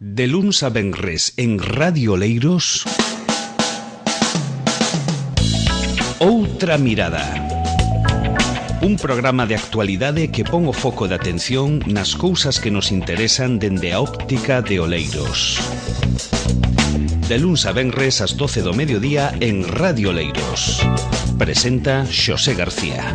De luns a venres en Radio Oleiros, Outra Mirada. Un programa de actualidade que pon o foco de atención nas cousas que nos interesan dende a óptica de Oleiros. De luns a venres ás 12 do mediodía en Radio Oleiros. Presenta Xosé García.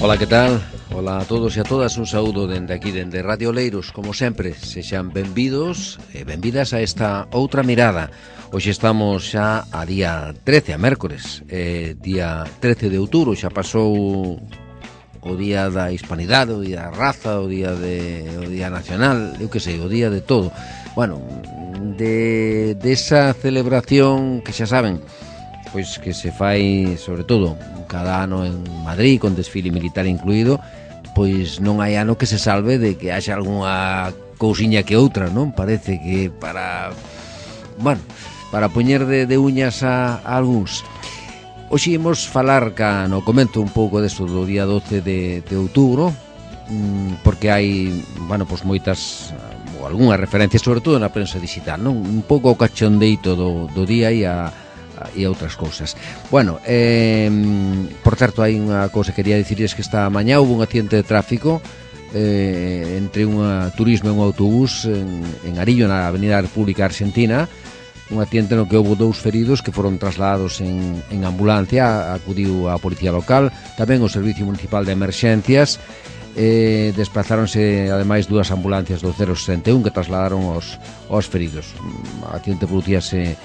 Ola, que tal? Ola a todos e a todas, un saúdo dende aquí, dende Radio Oleiros. Como sempre, sexan benvidos e benvidas a esta Outra Mirada. Hoxe estamos xa a día 13, a mércores, día 13 de outubro. Xa pasou o día da hispanidade, o día da raza, o día nacional, eu que sei, o día de todo. Bueno, de esa celebración que xa saben, pois que se fai sobre todo cada ano en Madrid, con desfile militar incluído, pois non hai ano que se salve de que haxa algunha cousiña que outra, non? Parece que para poñer de uñas a algúns. Hoxe imos falar no comento un pouco deso do día 12 de outubro, porque hai, pois moitas ou algunhas referencias, sobre todo na prensa digital, non? Un pouco o cachondeito do día e outras cousas. Por certo, hai unha cousa que quería dicirles, que esta mañá houve un accidente de tráfico entre un turismo e un autobús en Arillo, na Avenida República Argentina. Un accidente no que houve 2 feridos que foron trasladados en ambulancia. Acudiu a policía local, tamén o Servicio Municipal de Emerxencias. Desplazáronse ademais 2 ambulancias do 061 que trasladaron os feridos. O accidente producíase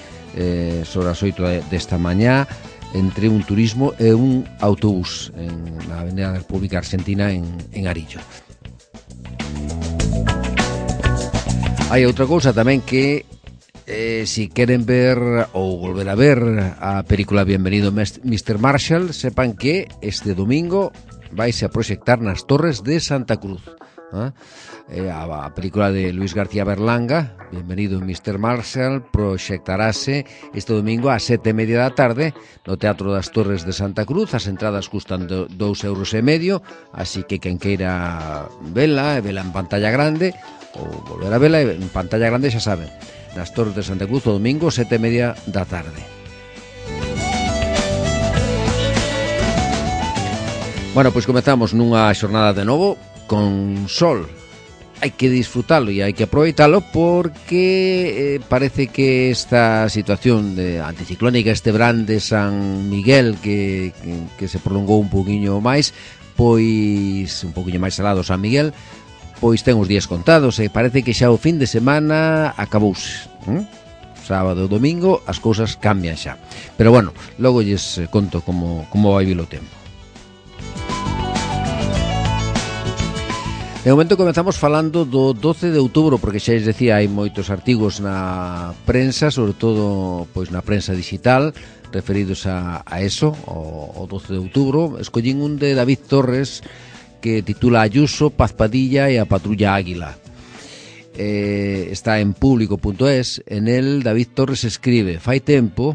sobre as 8 desta mañá entre un turismo e un autobús na Avenida República Argentina en Arillo. Hai outra cousa tamén que si queren ver ou volver a ver a película Bienvenido Mr. Marshall, sepan que este domingo vaise a proxectar nas Torres de Santa Cruz. A película de Luis García Berlanga, Bienvenido Mr. Marshall, proxectarase este domingo ás 7:30 da tarde no Teatro das Torres de Santa Cruz. As entradas custan 2,5 €, así que quen queira vela en pantalla grande ou volver a vela en pantalla grande, xa saben, nas Torres de Santa Cruz o domingo 7:30 da tarde. Pois comezamos nunha xornada de novo con sol. Hai que disfrutalo e hai que aproveitalo, porque parece que esta situación de anticiclónica, este verán de San Miguel que se prolongou un poquinho máis, pois un poquinho máis salado San Miguel, pois ten os días contados e parece que xa o fin de semana acabouse. Sábado e domingo as cousas cambian xa. Pero logo lles conto como vai vir o tempo. De momento comezamos falando do 12 de outubro, porque xa lles decía, hai moitos artigos na prensa, sobre todo pois na prensa digital, referidos a eso, o 12 de outubro. Escollín un de David Torres que titula Ayuso, Paz Padilla e a Patrulla Águila. Está en público.es. En el David Torres escribe: fai tempo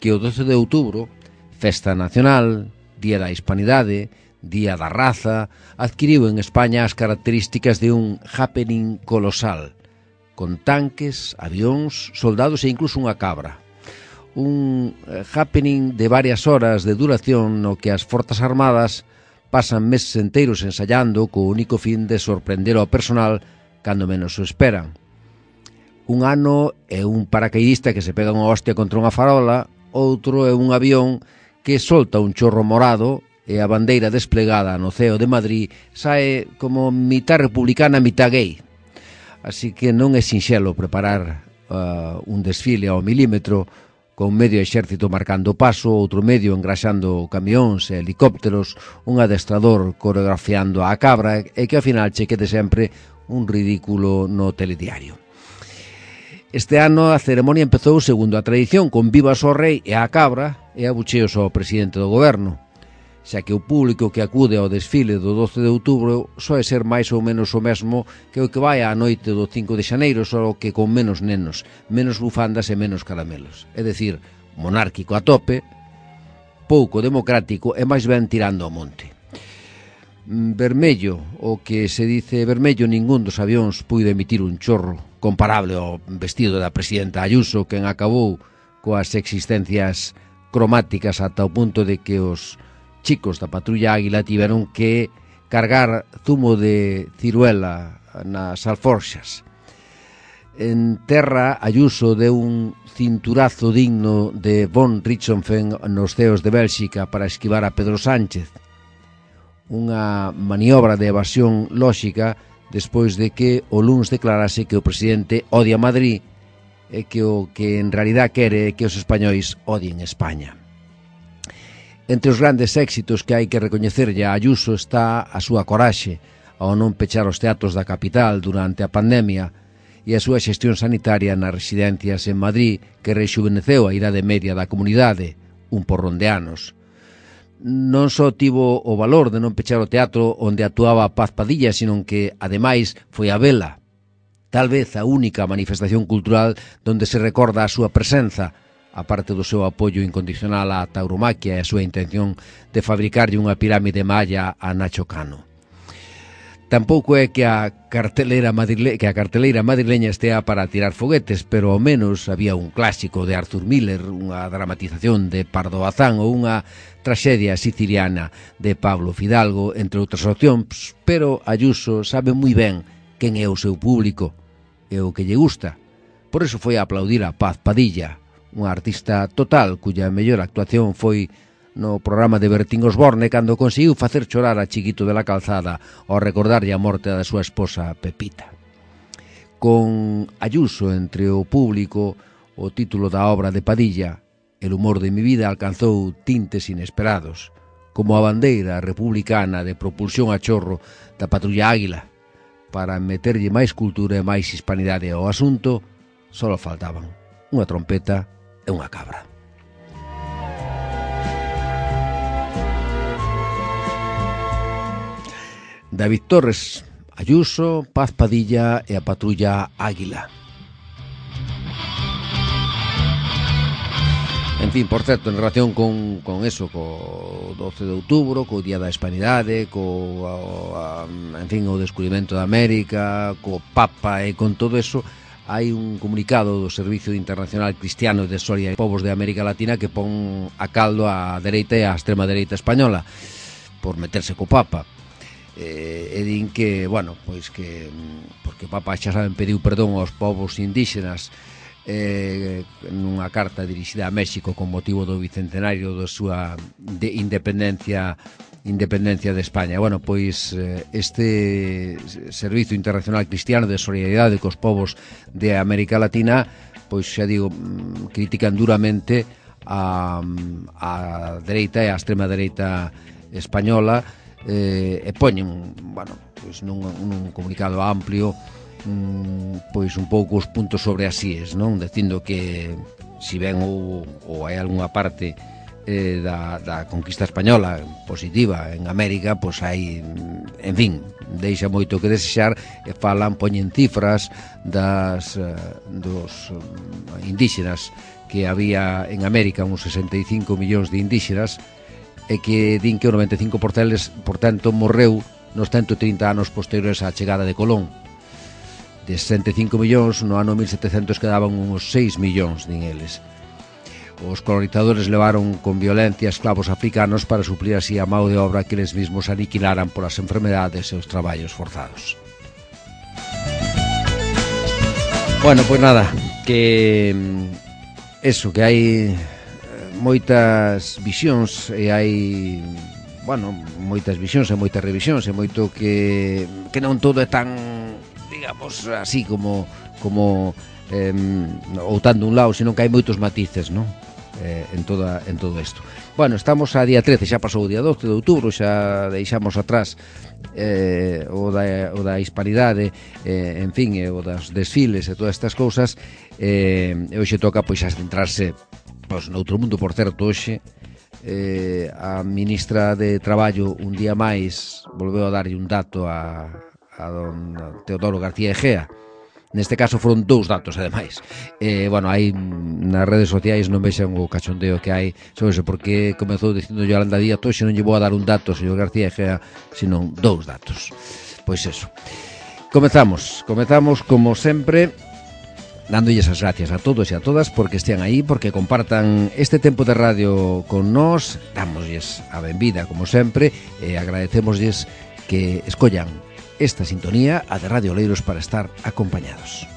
que o 12 de outubro, festa nacional, día da hispanidade, día da raza, adquiriu en España as características de un happening colosal, con tanques, avións, soldados e incluso unha cabra. Un happening de varias horas de duración no que as Forzas Armadas pasan meses enteiros ensayando co único fin de sorprender ao personal cando menos o esperan. Un ano é un paracaidista que se pega unha hostia contra unha farola, outro é un avión que solta un chorro morado e a bandeira desplegada no ceo de Madrid sae como mitad republicana, mitad gay. Así que non é sinxelo preparar un desfile ao milímetro, con medio exército marcando paso, outro medio engraxando camións e helicópteros, un adestrador coreografiando a cabra, e que ao final che quede sempre un ridículo no telediario. Este ano a ceremonia empezou segundo a tradición, con vivas ao rei e á cabra e abucheos ao presidente do goberno, xa que o público que acude ao desfile do 12 de outubro soe ser máis ou menos o mesmo que o que vai á noite do 5 de xaneiro, só que con menos nenos, menos bufandas e menos caramelos. É dicir, monárquico a tope, pouco democrático e máis ben tirando ao monte. Vermello, o que se dice vermello, ningún dos avións puido emitir un chorro comparable ao vestido da presidenta Ayuso, quen acabou coas existencias cromáticas ata o punto de que os chicos da Patrulla Águila tiveron que cargar zumo de ciruela nas alforxas. En terra, Ayuso deu un cinturazo digno de von Richthofen nos ceos de Bélxica para esquivar a Pedro Sánchez. Unha maniobra de evasión lóxica despois de que o luns declarase que o presidente odia Madrid e que o que en realidad quere é que os españois odien España. Entre os grandes éxitos que hai que recoñecerlle a Ayuso está a súa coraxe ao non pechar os teatros da capital durante a pandemia e a súa xestión sanitaria nas residencias en Madrid que rexuveneceu a idade media da comunidade, un porrón de anos. Non só tivo o valor de non pechar o teatro onde actuaba Paz Padilla, sino que, ademais, foi a vela, tal vez a única manifestación cultural donde se recorda a súa presenza, aparte do seu apoio incondicional á tauromaquia e a súa intención de fabricarlle unha pirámide maya a Nacho Cano. Tampouco é que a carteleira madrileña estea para tirar foguetes, pero ao menos había un clásico de Arthur Miller, unha dramatización de Pardo Bazán ou unha traxedia siciliana de Pablo Fidalgo, entre outras opcións, pero Ayuso sabe moi ben quen é o seu público e o que lle gusta. Por iso foi a aplaudir a Paz Padilla, unha artista total cuya mellor actuación foi no programa de Bertín Osborne cando conseguiu facer chorar a Chiquito de la Calzada ao recordarlle a morte da súa esposa Pepita. Con Ayuso entre o público, o título da obra de Padilla, El humor de mi vida, alcanzou tintes inesperados, como a bandeira republicana de propulsión a chorro da Patrulla Águila. Para meterlle máis cultura e máis hispanidade ao asunto, só faltaban unha trompeta e unha cabra. David Torres, Ayuso, Paz Padilla e a Patrulla Águila. En fin, por certo, en relación con eso, co 12 de outubro, co Día da Hispanidade, en fin, o descubrimento da América, co Papa e con todo eso, hai un comunicado do Servicio Internacional Cristiano de Soria e Povos de América Latina que pon a caldo a dereita e a extrema dereita española por meterse co Papa. E din que, bueno, pois que porque o Papa, xa saben, pediu perdón aos povos indígenas nunha carta dirixida a México con motivo do bicentenario da súa independencia de España. Bueno, pois este Servicio Internacional Cristiano de Solidaridade cos povos de América Latina, pois xa digo, critican duramente a dereita e a extrema dereita española, e poñen, bueno, pois nun comunicado amplio, pois un pouco os puntos sobre as íes, non? Dicindo que si ben ou hai algunha parte da conquista española positiva en América, pois hai, en fin, deixa moito que desexar e poñen cifras dos indígenas que había en América, uns 65 millóns de indígenas, e que din que o 95% morreu nos 130 anos posteriores á chegada de Colón. De 65 millóns, no ano 1700 quedaban uns 6 millóns, din eles. Os colonizadores levaron con violencia esclavos africanos para suplir así a mão de obra que eles mesmos aniquilaran polas enfermedades e os traballos forzados. Bueno, pois nada, que eso, que hai moitas visións e hai, bueno, moitas visións e moitas revisións e moito que non todo é tan, digamos, así como ou tan dun lado, senón que hai moitos matices, non? En todo isto. Bueno, estamos a día 13, xa pasou o día 12 de outubro, xa deixamos atrás o da hispanidade, en fin, o das desfiles e todas estas cousas, e hoxe toca pois a centrarse pois noutro mundo. Por certo, hoxe a ministra de Traballo un día máis volveu a darlle un dato a don Teodoro García Egea, Neste caso foron 2 datos, ademais. Bueno, hai nas redes sociais non vexan o cachondeo que hai sobre eso, porque comezou dicindo Yolanda Díaz, hoxe non lle vou a dar un dato, señor García Egea, senón 2 datos. Pois eso. Comezamos como sempre, dándolles as gracias a todos e a todas porque estean aí, porque compartan este tempo de radio con nós, dámoslles a benvida como sempre e agradecémoslles que escollan esta sintonía, a de Radio Oleiros, para estar acompañados.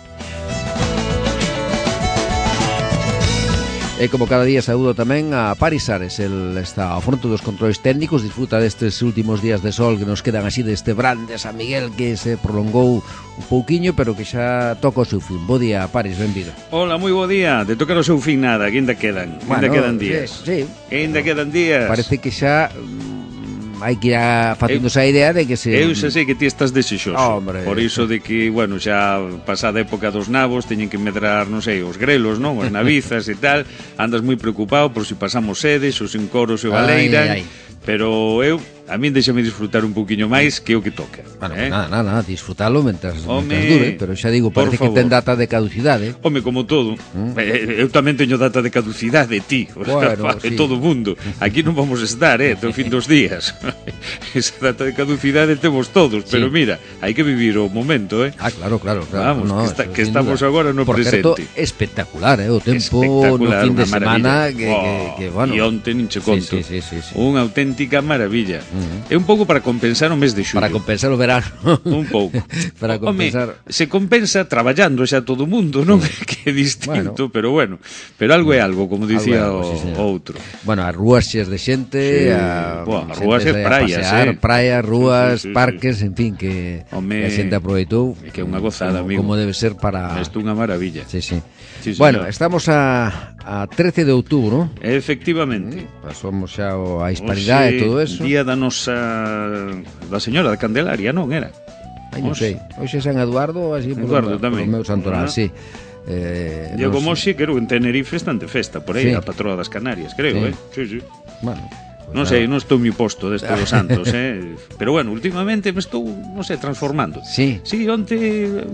E como cada día saúdo tamén a Paris Ares, el está ao fronte dos controles técnicos, disfruta destes últimos días de sol que nos quedan así deste brand de San Miguel que se prolongou un pouquiño, pero que xa toca o seu fin. Bo día, Paris, benvido. Hola, moi bo día. De tocar o seu fin nada, que ainda quedan. Ainda quedan días. Sí. Ainda quedan días. Parece que xa hai que ir facéndose a idea de que se... Eu xa sei que ti estás desexoso. Hombre. Por iso de que, bueno, xa pasada a época dos nabos teñen que medrar, non sei, os grelos, non? As navizas e tal. Andas moi preocupado por si pasamos sedes, ou sin coros e baleiran. Pero eu, a min deixame disfrutar un poquinho máis que o que toca. Bueno, nada, disfrutalo mentras dure, pero xa digo, parece que ten data de caducidade. Home, como todo, eu tamén teño data de caducidade, ti, bueno, sí. Todo o mundo. Aquí non vamos estar, do fin dos días. Esa data de caducidade temos todos, sí. Pero mira, hai que vivir o momento, Claro. Vamos, no, que estamos agora no por presente. Por certo, espectacular, o tempo no fin de semana que bueno. E onte nin che conto. Sí. Unha auténtica maravilla. É un pouco para compensar o mes de xullo. Para compensar o verano. Un pouco. Para compensar. Se compensa traballando xa todo o mundo, non? Que é distinto, pero bueno. Pero algo é algo, como dicía o outro. Bueno, as rúas xes de xente, as rúas e praias, praias, rúas, parques, en fin, que a xente aproveitou. Que é unha gozada, amigo. Como debe ser para... Isto é unha maravilla. Sí. Bueno, estamos a 13 de outubro. Efectivamente. Pasamos xa a Hispanidade e todo eso. Día da nosa... da señora da Candelaria, non era? Ai, non sei. Hoxe é San Eduardo, así Eduardo tamén. Polo meu santoral, sí. Diego Moxe, creo, en Tenerife están de festa, por aí, a patroa das Canarias, creo, Sí. Bueno... Non sei, non estou moi posto deste dos santos, Pero bueno, últimamente me estou, non sei, transformando. Sí, onte,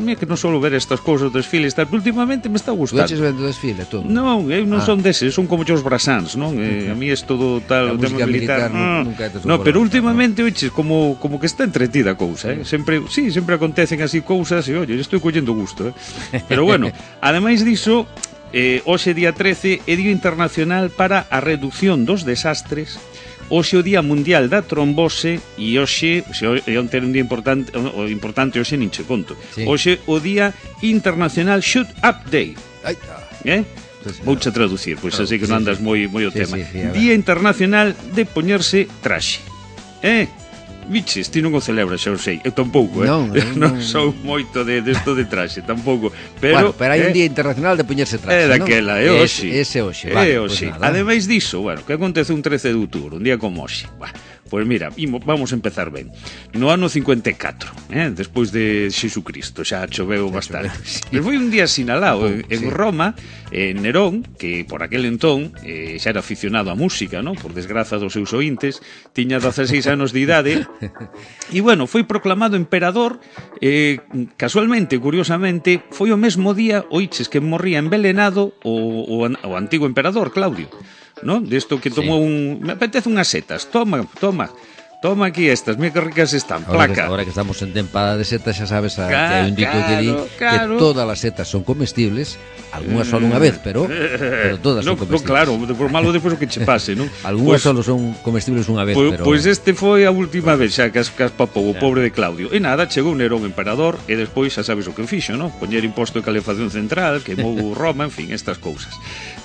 mira que non solo ver estas cousas, desfiles, tal, pero últimamente me está gustando. Tú eches vendo desfile, todo? Non, eu non son deses, son como os brasans, non? A mí é todo tal, o tema militar. No, pero últimamente, oiches, como que está entretida a cousa, Sempre acontecen así cousas e, oye, estou collendo gusto, Pero bueno, ademais diso, hoxe día 13 é Día Internacional para a Reducción dos Desastres. Hoxe o Día Mundial da Trombose e hoxe, onte era un día importante, o importante hoxe nin che conto. Hoxe o Día Internacional Shoot Up Day. Vouche traducir, pois así que non andas moi o tema. Día Internacional de poñerse traxe. Biches, ti non o celebras, xa o sei. Eu tampouco, Non sou moito desto de traxe, tampouco. Pero hai un Día Internacional de poñerse traxe, non? Daquela, é hoxe. Ese hoxe, vale. Ademais diso, bueno, que acontece un 13 de outubro, un día como hoxe. Pois mira, vamos a empezar ben. No ano 54, despois de Xesucristo, xa choveu bastante. Pero foi un día sinalado en Roma, Nerón, que por aquel entón xa era aficionado á música, non? Por desgraza dos seus ointes, tiña 16 anos de idade, e bueno, foi proclamado emperador, casualmente, curiosamente, foi o mesmo día, oiches, que morría envelenado o antigo emperador, Claudio. ¿No? Desto que tomou me apetece unhas setas, toma aquí estas, mira que ricas están, placa. Ahora que estamos en tempada de setas, xa sabes que hai un dito que di que todas as setas son comestibles, algunhas só unha vez, pero todas son comestibles. Claro, por malo despois o que che pase, non? Algunhas só son comestibles unha vez, pero... Pois este foi a última vez xa que as papou o pobre de Claudio. E nada, chegou Nerón emperador e despois xa sabes o que fixo, non? Poñer imposto de calefacción central, queimou Roma, en fin, estas cousas.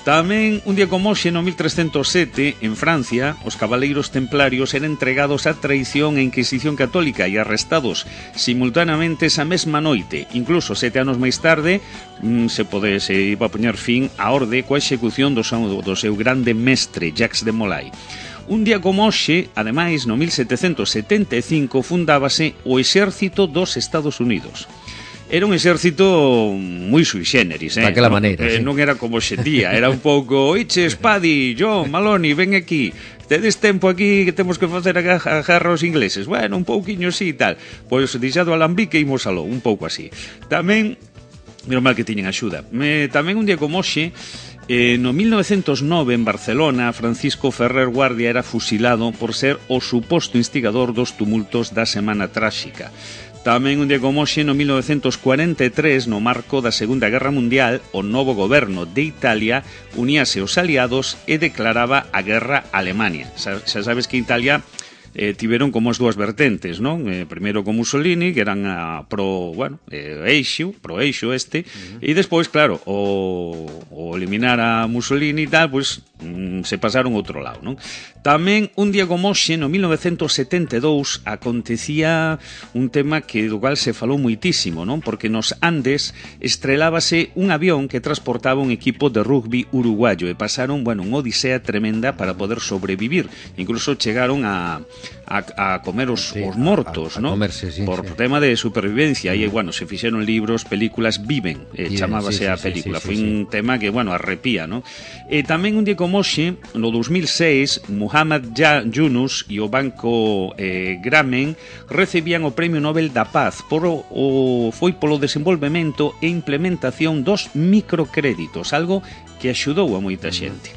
Tamén, un día como hoxe, no 1307, en Francia, os cabaleiros templarios eran entregados a traición e Inquisición católica e arrestados simultaneamente esa mesma noite. Incluso 7 anos máis tarde se iba a poñer fin á orde coa execución do seu grande mestre, Jacques de Molay. Un día como hoxe, ademais, no 1775, fundábase o Exército dos Estados Unidos. Era un exército moi sui generis, daquela maneira, non era como xendía, era un pouco, oiches, Paddy, John, Maloney, ven aquí, tedes tempo aquí que temos que facer a guerra aos ingleses. Bueno, un pouquiño así e tal. Pois deixado alambique e imos aló, un pouco así. Tamén Menos mal que tiñen axuda. Tamén un día como hoxe, no 1909 en Barcelona, Francisco Ferrer Guardia era fusilado por ser o suposto instigador dos tumultos da Semana Tráxica. Tamén un día como hoxe, no 1943, no marco da Segunda Guerra Mundial, o novo goberno de Italia uníase aos aliados e declaraba a guerra a Alemania. Xa sabes que Italia tiveron como as dúas vertentes, non? Primeiro con Mussolini, que eran pro eixo este, e despois, claro, o eliminar a Mussolini e tal, pois se pasaron outro lado, non? Tamén un día como hoxe, no 1972, acontecía un tema do cual se falou moitísimo, non? Porque nos Andes estrelábase un avión que transportaba un equipo de rugby uruguayo e pasaron, unha odisea tremenda para poder sobrevivir. Incluso chegaron a comer os mortos, ¿no? Comerse, sí, por tema de supervivencia. E, se fixeron libros, películas, Viven, chamábase a película. Foi un tema que, arrepía, ¿no? E tamén un día como hoxe, no 2006, Muhammad Yunus e o Banco Grameen recibían o Premio Nobel da Paz foi polo desenvolvemento e implementación dos microcréditos, algo que axudou a moita xente.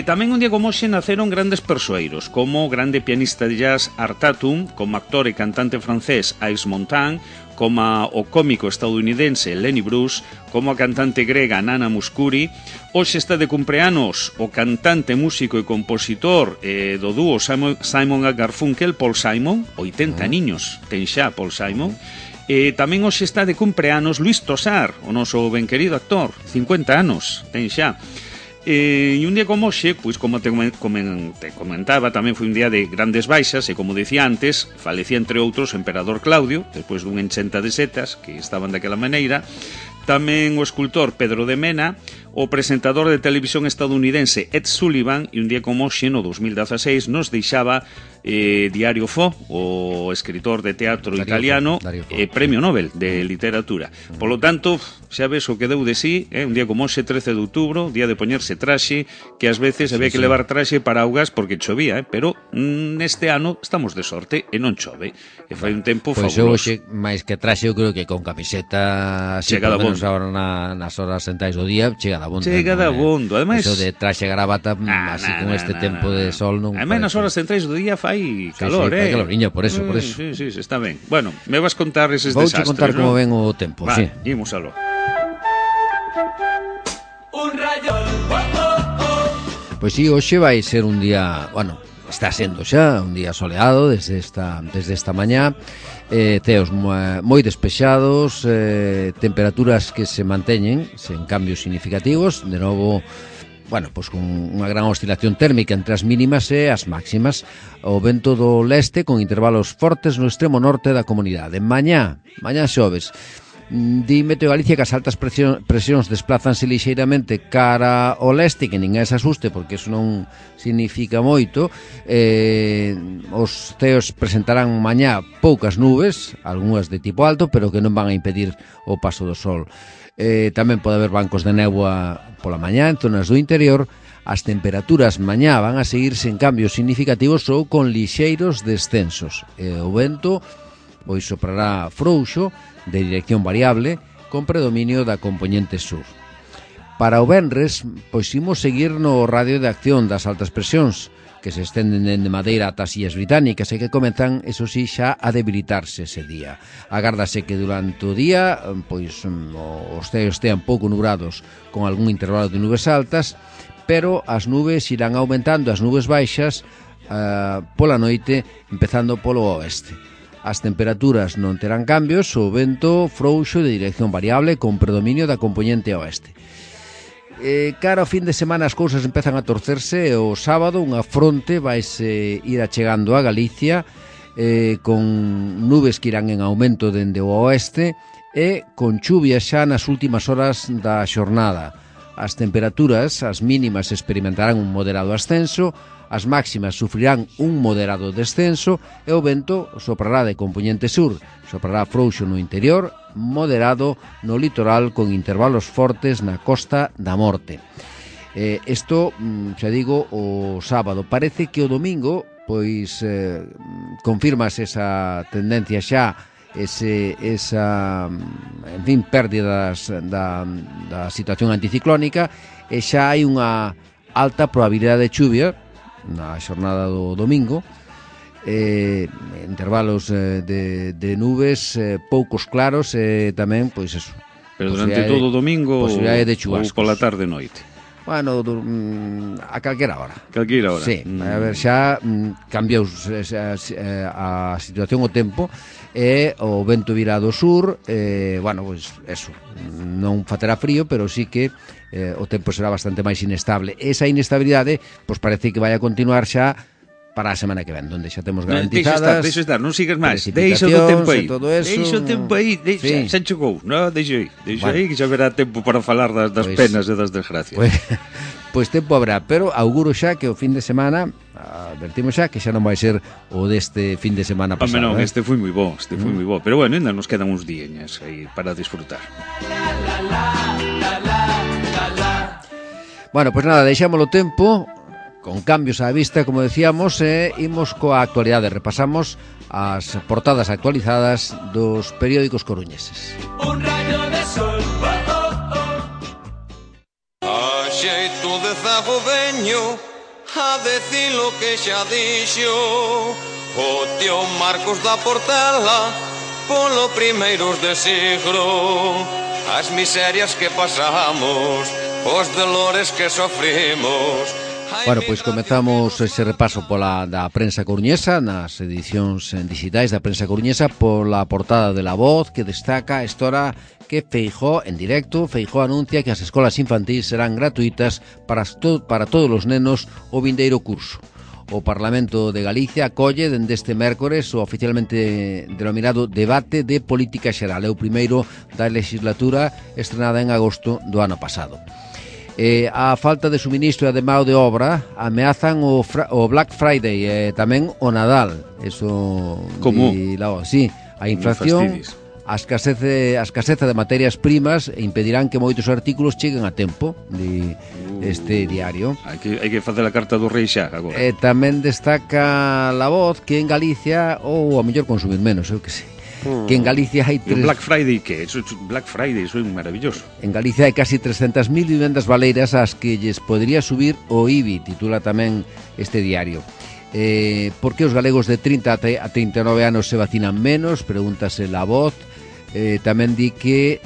Tamén un día como hoxe naceron grandes persoeiros, como o grande pianista de jazz Art Tatum, como actor e cantante francés Yves Montand, como o cómico estadounidense Lenny Bruce, como a cantante grega Nana Mouskouri. Hoxe está de cumpleanos o cantante, músico e compositor do dúo Simon & Garfunkel, Paul Simon, 80 niños ten xa Paul Simon. Tamén hoxe está de cumpleanos Luis Tosar, o noso ben querido actor, 50 anos ten xa. E un día como hoxe, pois como te comentaba, tamén foi un día de grandes baixas e, como dicía antes, falecía entre outros o emperador Claudio, despois dun enchenta de setas que estaban daquela maneira. Tamén o escultor Pedro de Mena, o presentador de televisión estadounidense Ed Sullivan, e un día como hoxe, no 2016, nos deixaba Dario Fo, o escritor de teatro italiano, Premio Nobel de Literatura. Polo tanto, xa ves o que deu de sí, un día como hoxe, 13 de outubro, día de poñerse traxe, que ás veces había que levar traxe para augas porque chovía, pero neste ano estamos de sorte e non chove. E foi un tempo fabuloso. Pois hoxe, máis que traxe, eu creo que con camiseta, chega da bondo. Agora nas horas centrais do día, chega da bondo. Chega da bondo. Ademais, eso de traxe gravata, así con este tempo de sol non. Ademais, nas horas centrais do día fai calor, fai caloriño, por eso. Sí, está ben. Bueno, me vas contar eses desastres, Vouche contar como ven o tempo, sí. Imos aló. Un rayo. Pois sí, hoxe vai ser un día, está sendo xa un día soleado desde esta mañá. Ceos moi despexados, temperaturas que se manteñen sen cambios significativos, de novo, pois con unha gran oscilación térmica entre as mínimas e as máximas. O vento do leste con intervalos fortes no extremo norte da comunidade. Mañá xoves. Di Meteo Galicia que as altas presións desplázanse lixeiramente cara ao leste, que ninguén se asuste porque eso non significa moito. Os ceos presentarán mañá poucas nubes, algunhas de tipo alto, pero que non van a impedir o paso do sol. Tamén pode haber bancos de néboa pola mañá en zonas do interior. As temperaturas mañá van a seguir sen cambios significativos ou con lixeiros descensos. O vento pois soprará frouxo de dirección variable con predominio da compoñente sur. Para o venres, pois imos seguir no radio de acción das altas presións que se estenden de Madeira ata as Illas Británicas e que comezan, eso sí, xa a debilitarse ese día. Agárdase que durante o día pois os ceos estean pouco nubrados con algún intervalo de nubes altas, pero as nubes irán aumentando, as nubes baixas pola noite, empezando polo oeste. As temperaturas non terán cambios, o vento frouxo de dirección variable con predominio da compoñente oeste. Cara ao fin de semana as cousas empezan a torcerse e o sábado unha fronte vaise ir achegando a Galicia con nubes que irán en aumento dende o oeste e con chuvia xa nas últimas horas da xornada. As temperaturas, as mínimas, experimentarán un moderado ascenso, as máximas sufrirán un moderado descenso e o vento soprará de compoñente sur, soprará frouxo no interior, moderado no litoral con intervalos fortes na Costa da Morte. Isto, xa digo, o sábado. Parece que o domingo, pois, confirmas esa tendencia xa esa, en fin, pérdidas da situación anticiclónica, e xa hai unha alta probabilidade de chuvia na xornada do domingo, intervalos de nubes poucos claros e tamén, pois eso. Pero durante todo o domingo ou pola tarde e noite? Bueno, a calquera hora. Calquera hora. Sí, a ver, xa cambiou a situación, o tempo, e o vento virá do sur, bueno, pois eso, non faterá frío, pero sí que o tempo será bastante máis inestable. Esa inestabilidade, pois parece que vai a continuar xa para a semana que ven, onde xa temos garantizadas. Deixa estar, non sigas máis. Deixa o tempo aí. Deixa o tempo aí, xa chegou, non? Deixa aí, que xa verá tempo para falar das penas e das desgracias. Pois tempo habrá, pero auguro xa que o fin de semana, advertimos xa que xa non vai ser o deste fin de semana pasado. Non, este foi moi bo, pero bueno, ainda nos quedan uns días aí para disfrutar. Bueno, pois nada, deixámoslo tempo, con cambios á vista, como decíamos, imos coa actualidade. Repasamos as portadas actualizadas dos periódicos coruñeses. Un rayo de sol, A xeito de zago veño a decir lo que xa dixo o tío Marcos da Portela polo primeiros de siglo. As miserias que pasamos, os dolores que sofrimos. Bueno, pois comezamos ese repaso da prensa coruñesa, nas edicións digitais da prensa coruñesa, pola portada de La Voz, que destaca a história que Feijóo, en directo, Feijóo anuncia que as escolas infantís serán gratuitas para todos os nenos o vindeiro curso. O Parlamento de Galicia acolle dende este mércores o oficialmente denominado Debate de Política Xeral. É o primeiro da legislatura, estrenada en agosto do ano pasado. A falta de suministro e de mão de obra ameazan o Black Friday e tamén o Nadal. Eso. Como? Sí, a inflación, a escaseza de materias primas impedirán que moitos artículos cheguen a tempo de este diario. Hai que facer a carta do rei xa agora. Tamén destaca La Voz que en Galicia, ou a mellor consumir menos, eu que sei, que en Galicia hai Black Friday, que? Black Friday, eso é maravilloso. En Galicia hai casi 300.000 vivendas baleiras ás que lles podría subir o IBI, titula tamén este diario. Por que os galegos de 30 a 39 anos se vacinan menos? Pregúntase La Voz. Tamén di que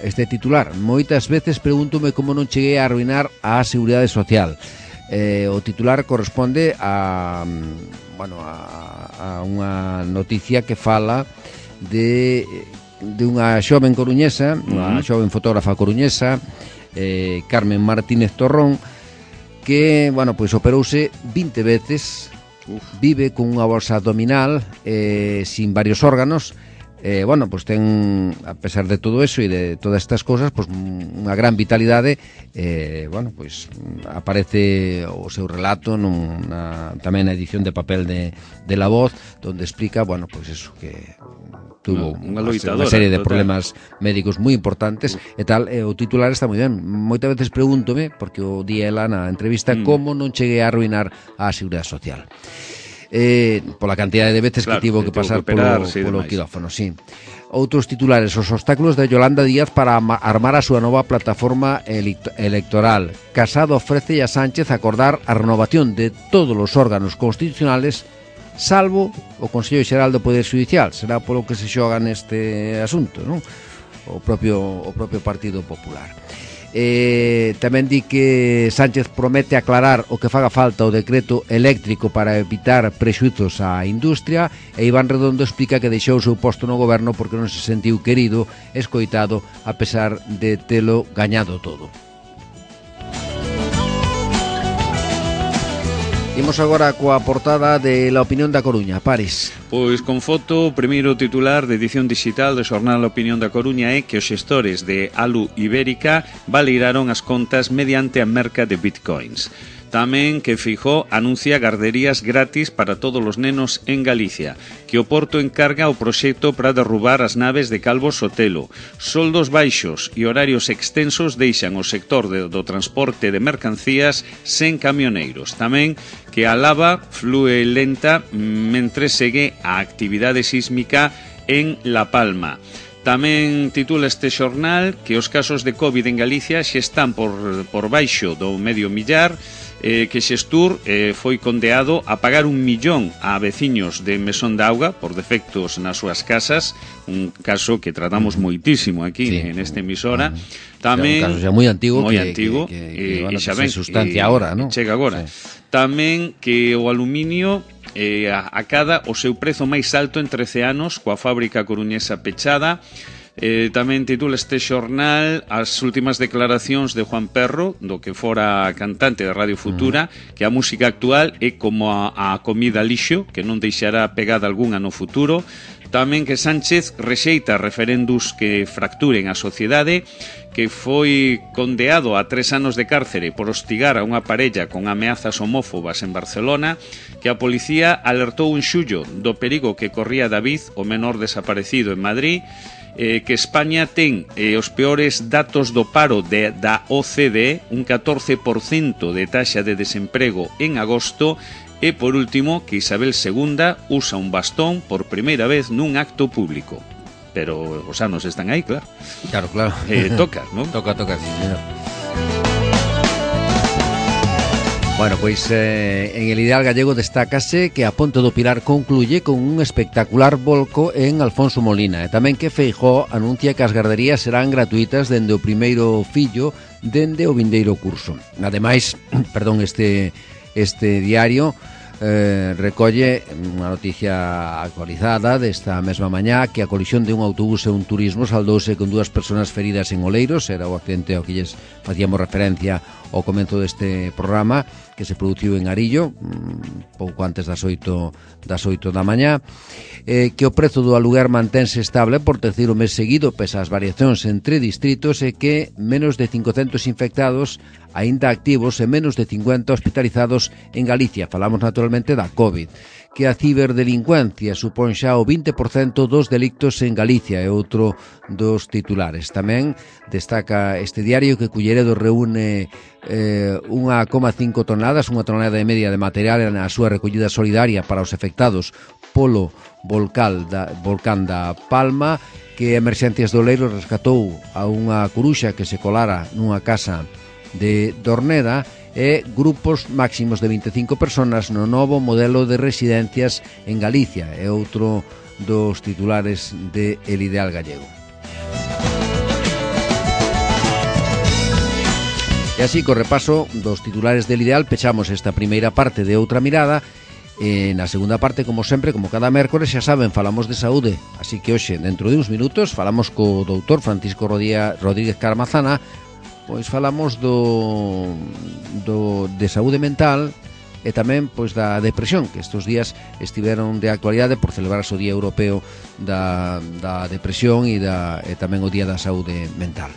este titular: moitas veces pregúntome como non cheguei a arruinar a Seguridade Social. O titular corresponde a unha noticia que fala de unha xoven coruñesa, unha xoven fotógrafa coruñesa, Carmen Martínez Torrón, que, bueno, pois operouse 20 veces, vive con unha bolsa abdominal sin varios órganos. Bueno, pois ten, a pesar de todo eso e de todas estas cosas, pois unha gran vitalidade. Bueno, pois aparece o seu relato tamén na edición de papel de La Voz, donde explica, bueno, pois eso, que tuvo unha serie de problemas médicos moi importantes e tal. O titular está moi ben. Moitas veces pregúntome, porque o di ela na entrevista, como non cheguei a arruinar a Seguridade Social. Pola cantidade de veces que tivo que pasar polo quirófano, sí. Outros titulares: os obstáculos de Yolanda Díaz para armar a súa nova plataforma electoral. Casado ofrece a Sánchez acordar a renovación de todos os órganos constitucionales salvo o Consello Xeral do Poder Judicial. Será polo que se xoga neste asunto, non? O propio Partido Popular. Tamén di que Sánchez promete aclarar o que faga falta o decreto eléctrico para evitar prexuizos á industria, e Iván Redondo explica que deixou o seu posto no goberno porque non se sentiu querido, escoitado, a pesar de telo gañado todo. Imos agora coa portada de La Opinión da Coruña. Paris. Pois con foto, o primeiro titular de edición digital do xornal La Opinión da Coruña é que os xestores de Alu Ibérica validaron as contas mediante a merca de bitcoins. Tamén que Feijóo anuncia garderías gratis para todos os nenos en Galicia, que o Porto encarga o proxecto para derrubar as naves de Calvo Sotelo. Soldos baixos e horarios extensos deixan o sector do transporte de mercancías sen camioneiros. Tamén que a lava flúe lenta mentre segue a actividade sísmica en La Palma. Tamén titula este xornal que os casos de COVID en Galicia xe están por baixo do medio millar, que Xestur foi condeado a pagar 1 millón a veciños de Mesón de Auga por defectos nas súas casas, un caso que tratamos moitísimo aquí nesta emisora. Tamén un caso xa moi antigo que bueno, xa ven, se sustancia agora, ¿no? Chega agora. Tamén que o aluminio acada o seu prezo máis alto en 13 anos coa fábrica coruñesa pechada. Tamén titula este xornal as últimas declaracións de Juan Perro, do que fora cantante de Radio Futura, que a música actual é como a comida lixo, que non deixará pegada algunha no futuro. Tamén que Sánchez rexeita referendos que fracturen a sociedade, que foi condeado a 3 anos de cárcere por hostigar a unha parella con ameazas homófobas en Barcelona, que a policía alertou en xullo do perigo que corría David, o menor desaparecido en Madrid, que España ten os peores datos do paro da OCDE, un 14% de taxa de desemprego en agosto, e por último que Isabel II usa un bastón por primeira vez nun acto público. Pero os anos están aí, claro. Claro. Toca, non? Toca, sí, señor. Bueno, pois en El Ideal Gallego destácase que a Ponte do Pilar concluye con un espectacular volco en Alfonso Molina, e tamén que Feijóo anuncia que as garderías serán gratuitas dende o primeiro fillo dende o vindeiro curso. Ademais, este diario recolle unha noticia actualizada desta mesma mañá, que a colisión de un autobús e un turismo saldouse con 2 persoas feridas en Oleiros. Era o accidente ao que lles facíamos referencia ao comenzo deste programa, que se produciu en Arillo pouco antes das 8 da mañá. Que o prezo do aluguer mantense estable por terceiro mes seguido pese ás variacións entre distritos, e que menos de 500 infectados aínda activos e menos de 50 hospitalizados en Galicia. Falamos naturalmente da COVID. Que a ciberdelincuencia supón xa o 20% dos delictos en Galicia, é outro dos titulares. Tamén destaca este diario que Culleredo reúne 1,5 toneladas, unha tonelada e media de material na súa recollida solidaria para os afectados polo volcán da Palma, que Emerxencias do Oleiros rescatou a unha coruxa que se colara nunha casa de Dorneda, e grupos máximos de 25 personas no novo modelo de residencias en Galicia. É outro dos titulares de El Ideal Gallego. E así, co repaso dos titulares del Ideal, pechamos esta primeira parte de Outra Mirada. E na segunda parte, como sempre, como cada mércores, xa saben, falamos de saúde. Así que hoxe, dentro de uns minutos, falamos co doutor Francisco Rodríguez Carmazana. Pois falamos de saúde mental e tamén pois da depresión, que estes días estiveron de actualidade por celebrarse o Día Europeo da Depresión e tamén o Día da Saúde Mental.